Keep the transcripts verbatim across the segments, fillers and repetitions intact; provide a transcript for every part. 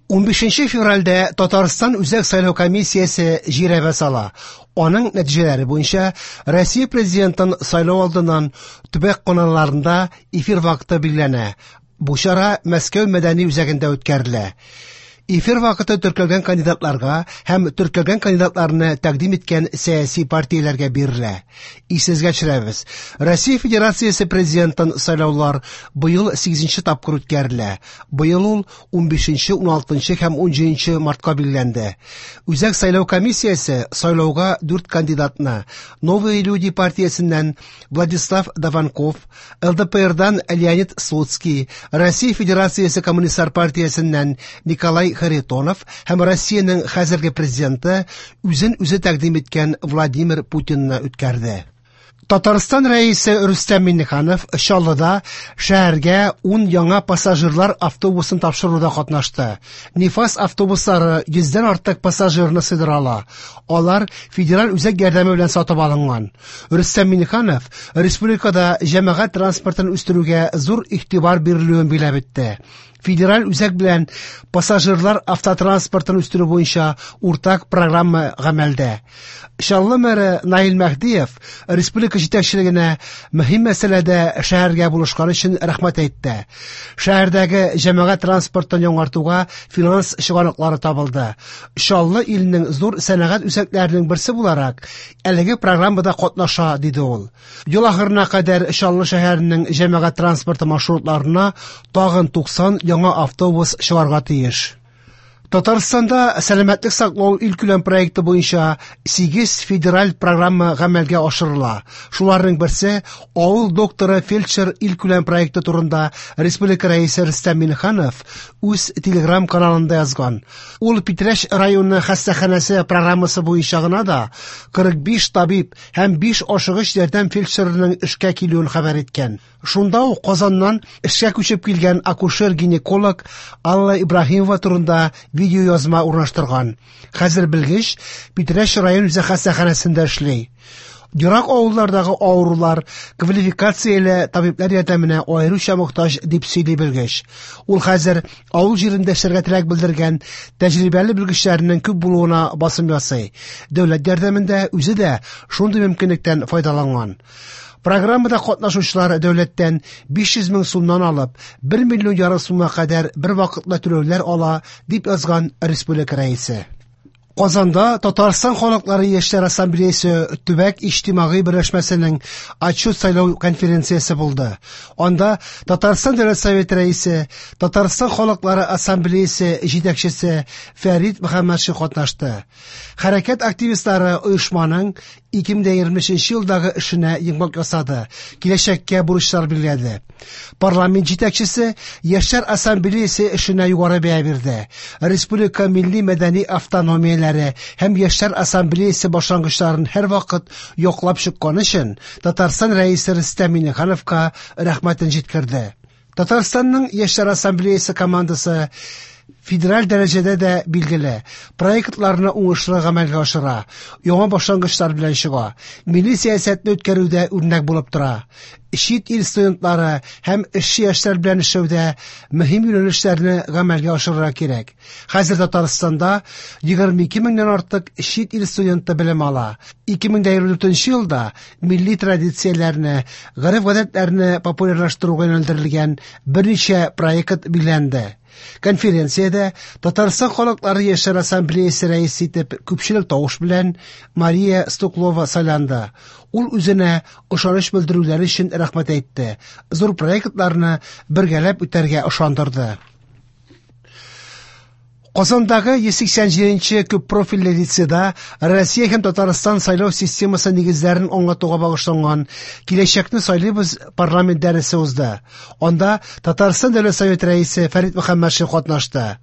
Унбишенче февральдә Татарстан Үзәк сайлау комиссиясе жирәбә сала. Аның нәтиҗәләре буенча Россия президентын сайлау алдыннан төбәк каналларында эфир вакыты билгеләнә. Бу чара Мәскәү мәдәни үзәгендә үткәрелә. Эфир вакыты теркәлгән кандидатларга һәм теркәлгән кандидатларны тәкъдим иткән сәяси партияләргә бирелә. Исегезгә төшерәбез, Россия Федерациясе президентын сайлаулар быел сигезенче тапкыр үткәрелә. Быел ул унбишенче, уналтынчы һәм унҗиденче мартка билгеләнде. Үзәк сайлау комиссиясе сайлауга дүрт кандидатны: Новые люди партиясеннән Владислав Даванков, Л Д П Рдан Леонид Слуцкий, Россия Федерациясе Коммунистлар партиясеннән Николай Харитонов һәм Россиянең хәзерге президенты, үзен үзе тәкъдим иткән Владимир Путинны үткәрде. Татарстан Рәисе Рөстәм Миңнеханов Чаллыда шәһәргә ун яңа пассажирлар автобусын тапшыруда катнашты. Нефаз автобуслары йөздән артык пассажирны сыйдыра ала. Алар федераль үзәк ярдәме белән сатып алынган. Рөстәм Миңнеханов республикада җәмәгать транспортын үстерүгә зур игътибар бирелүен билгеләп үтте. Федераль үзәк белән пассажирлар автотранспортын үстерү буенча уртак программа гамәлдә. Чаллы мэры Наил Мәһдиев республика җитәкчелегенә мөһим мәсьәләдә шәһәргә булышкан өчен рәхмәт әйтте. Шәһәрдәге җәмәгать транспортын яңартуга финанс чыганаклары табылды. Чаллы, илнең зур сәнәгать үзәкләренең берсе буларак, әлеге программада катнаша, диде ул. Ел ахырына кадәр Чаллы шәһәренең җәмәгать транспорты маршрутларына тагын туксан яңа автобус чыгарга тиеш. Татарстанда сәламәтлек саклау илкүләм проекты буенча сигез федераль программа гамәлгә ашырыла. Шуларның берсе Авыл докторы фельдшер илкүләм проекты турында республика Рәисе Рөстәм Миңнеханов үз Телеграм каналында язган. Ул Питрәч районы хастаханәсе программасы буенча гына да кырык биш табиб һәм биш ашыгыч ярдәм фельдшерының эшкә килүен хәбәр иткән. Шунда ук Казаннан эшкә күчеп килгән акушер-гинеколог Алла Ибраһимова турында видеоязма урнаштырган. Хәзер белгеч Питрәч район үзәк хастаханәсендә эшли. Ерак авыллардагы авырулар квалификацияле табиблар ярдәменә аеруча мохтаҗ, дип сөйли белгеч. Ул хәзер авыл җирендә эшләргә теләк белдергән тәҗрибәле белгечләрнең күп булуына басым ясый. Дәүләт ярдәмендә үзе дә шундый мөмкинлектән файдаланган. Программада катнашучылар дәүләттән биш йөз мең сумнан алып бер миллион ярым сумга кадәр бер вакытлы түләүләр ала, дип язган республика Рәисе. Казанда Татарстан халыклары яшьләр ассамблеясы төбәк иҗтимагый берләшмәсенең отчет сайлау конференциясе булды. Анда Татарстан Дәүләт Советы Рәисе, Татарстан халыклары ассамблеясы җитәкчесе Фәрит Мөхәммәтшин катнашты. Хәрәкәт активистлары оешманың ике мең егерме өченче елдагы эшенә йомгак ясады, киләчәккә бурычлар билгеләде. Парламент җитәкчесе яшьләр ассамблеясы эшенә югары бәя бирде. Республика милли мәдәни автономияләре һәм яшьләр ассамблеясы башлангычларын һәрвакыт яклап чыккан өчен Татарстан Рәисе Рөстәм Миңнехановка рәхмәтен җиткерде. Татарстанның яшьләр ассамблеясы командасы федераль дәрәҗәдә дә билгеле, проектларны уңышлы гамәлгә ашыра, яңа башлангычлар белән чыга, милли сәясәтне үткәрүдә үрнәк булып тора. Чит ил студентлары һәм эшче яшьләр белән эшләүдә мөһим юнәлешләрне гамәлгә ашырырга кирәк. Хәзер Татарстанда егерме ике меңнән артык чит ил студенты белем ала. ике мең егерме дүртенче елда милли традицияләрне, гореф-гадәтләрне популярлаштыруга юнәлдерелгән берничә проект билгеләнде. Конференциядә Татарстан халыклары яшьләр ассамблеясы рәисе итеп күпчелек тавыш белән Мария Стуклова сайланды. Ул үзенә ышаныч белдерүләре өчен рәхмәт әйтте. Зур проектларны бергәләп үтәргә ышандырды. Казандагы йөз сиксән җиденче күп профильле лицейда Россия һәм Татарстан сайлау системасы нигезләрен аңлатуга багышланган «Киләчәкне сайлыйбыз» парламент дәресе узды. Анда Татарстан Дәүләт Советы Рәисе Фәрит Мөхәммәтшин катнашты.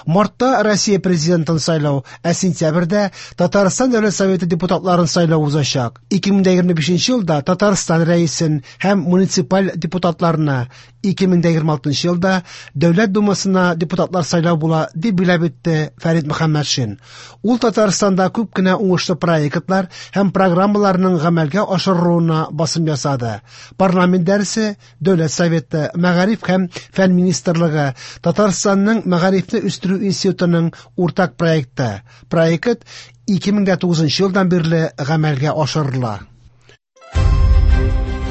Мартта Россия президентын сайлау, ә сентябрьдә Татарстан Дәүләт Советы депутатларын сайлау узачак. ике мең егерме бишенче елда Татарстан Рәисен һәм муниципаль депутатларны, ике мең дә егерме алтынчы елда Дәүләт Думасына депутатлар сайлау була, дип билгеләп үтте Фәрит Мөхәммәтшин. Ул Татарстанда күп кенә уңышлы проектлар һәм программаларның гамәлгә ашырылуына басым ясады. Парламент дәресе, Дәүләт Советы, Мәгариф һәм Фән Министрлыгы, Татарстанның Мәгарифне үстерү институтының уртак проекты. Проект ике мең дә тугызынчы елдан бирле гамәлгә ашырыла.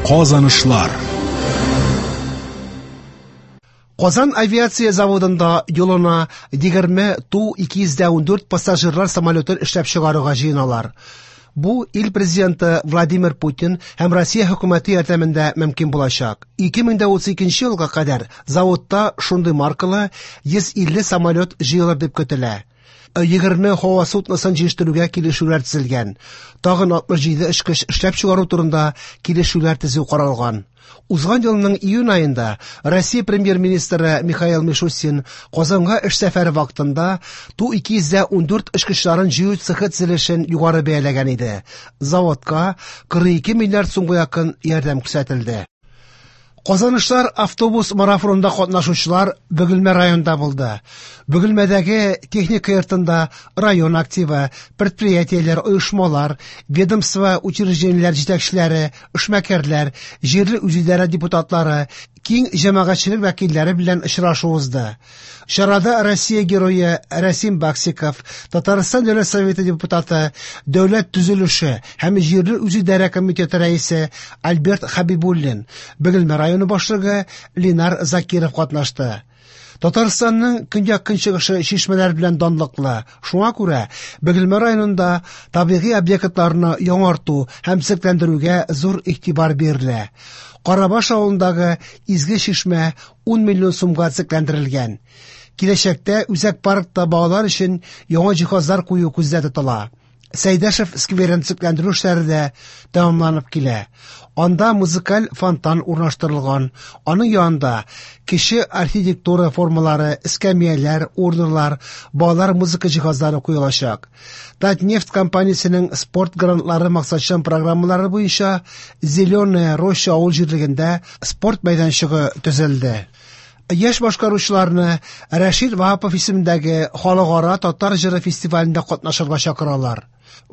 Казанышлар. Казан авиация заводында юлына егерме Ту ике йөз дә ундүрт пассажирлар самолетын эшләп чыгаруга җыеналар. Бу ил президенты Владимир Путин һәм Россия хөкүмәте ярдәмендә мөмкин булачак. Ике мең дә утыз икенче елга кадәр заводта шундый маркалы йөз илле самолет җыелыр дип көтелә. Егерме һава судносын җитештерүгә килешүләр төзелгән. Тагын алтмыш җиде очкыч эшләп чыгару турында килешүләр төзү каралган. Узган елның июнь аенда Россия премьер-министры Михаил Мишустин Казанга эш сәфәре вакытында Ту ике йөз дә ундүрт очкычларын җыю цехы төзелешен югары бәяләгән иде. Заводка кырык ике миллиард сумга якын ярдәм күрсәтелде. Казанышлар автобус марафонында катнашучылар Бөгелмә районында булды. Бөгелмәдәге техника йортында район активы, предприятиеләр, оешмалар, ведомство, учреждениеләр җитәкчеләре, эшмәкәрләр, җирле үзидарә депутатлары, киң җәмәгатьчелек вәкилләре белән очрашу узды. Чарада Россия герое Рәсим Баксиков, Татарстан Дәүләт Советы депутаты, Дәүләт төзелеше һәм җирле үзидарә комитеты рәисе Альберт Хәбибуллин, Бөгелмә районы башлыгы Ленар Закиров катнашты. Татарстанның көньяк-көнчыгышы чишмәләр белән данлыклы. Шуңа күрә Бөгелмә районында табигый объектларны яңарту һәм төзекләндерүгә зур игътибар бирелә. Карабаш авылындагы Изге чишмә ун миллион сумга төзекләндерелгән. Киләчәктә үзәк паркта балалар өчен яңа җиһазлар кую күздә тотыла. Сәйдәшев скверын төзекләндерү эшләре дә тәмамланып килә. Анда музыкаль фонтан урнаштырылган. Аның янында кече архитектура формалары, эскәмияләр, урналар, балалар музыка җиһазлары куелачак. Татнефть компаниясенең спорт грантлары максатчан программалары буенча Зеленая роща авыл җирлегендә спорт мәйданчыгы төзелде. Яшь башкаручыларны Рәшит Ваһапов исемендәге Халыкара татар җыры фестивалендә катнашырга чакыралар.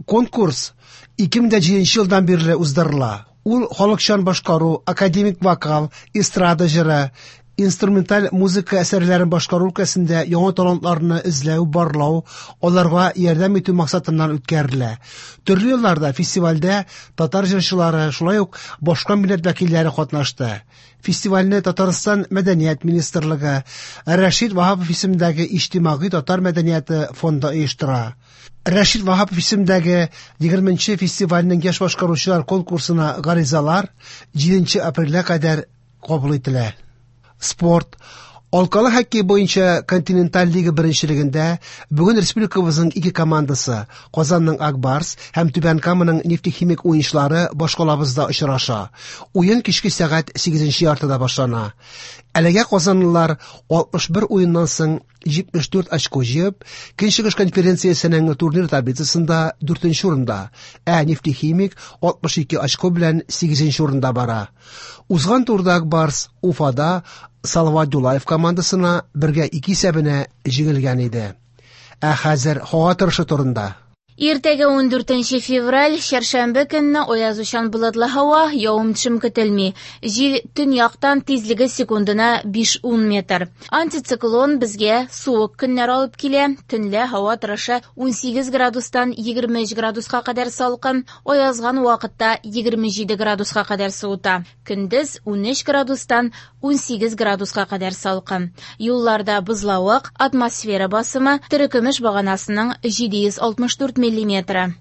Конкурс ике мең дә җиденче елдан бирле уздырыла. Ул халыкчан башкару, академик вокал, эстрада җыры, инструменталь музыка әсәрләрен башкару өлкәсендә яңа талантларны эзләү, барлау, аларга ярдәм итү максатыннан үткәрелә. Төрле елларда фестивальдә татар җырчылары, шулай ук башка милләт вәкилләре катнашты. Фестивальне Татарстан Мәдәният министрлыгы, Рәшит Ваһапов исемендәге Иҗтимагый татар мәдәнияте фонды оештыра. Рәшит Ваһапов исемендәге егерменче фестивальнең яшь башкаручылар конкурсына гаризалар җиденче апрельгә кадәр кабул ителә. Спорт. Алкалы хоккей буенча континенталь лига беренчелегендә бүген республикабызның ике командасы Казанның Ак Барс һәм Түбән Каманың Нефтехимик уенчылары башкалабызда очраша. Уен кичке сәгать сигезенче яртыда башлана. Әлегә казанлылар алтмыш бер уеннан соң җитмеш дүрт очко җыеп, Көнчыгыш конференциясенең турнир таблицасында дүртенче урында, ә Нефтехимик алтмыш ике очко белән сигезенче урында бара. Узган турда Ак Барс Уфада Салават Юлаев командасына бергә ике исәбенә җиңелгән иде. Ә хәзер һава торышы турында. Иртәгә ундүртенче февраль, чәршәмбе көнне аязучан болытлы һава, явым-төшем көтелми. Җил төньяктан тизлеге секундына биш-ун метр. Антициклон безгә суык көннәр алып килә. Төнлә һава торышы унсигез градустан егерме өч градуска кадәр салкын, аязган вакытта егерме җиде градуска кадәр суыта. Көндез унөч градустан унсигез градуска кадәр салкын. Юлларда бозлавык, атмосфера басымы терекөмеш баганасының җиде йөз алтмыш дүрт миллиметры.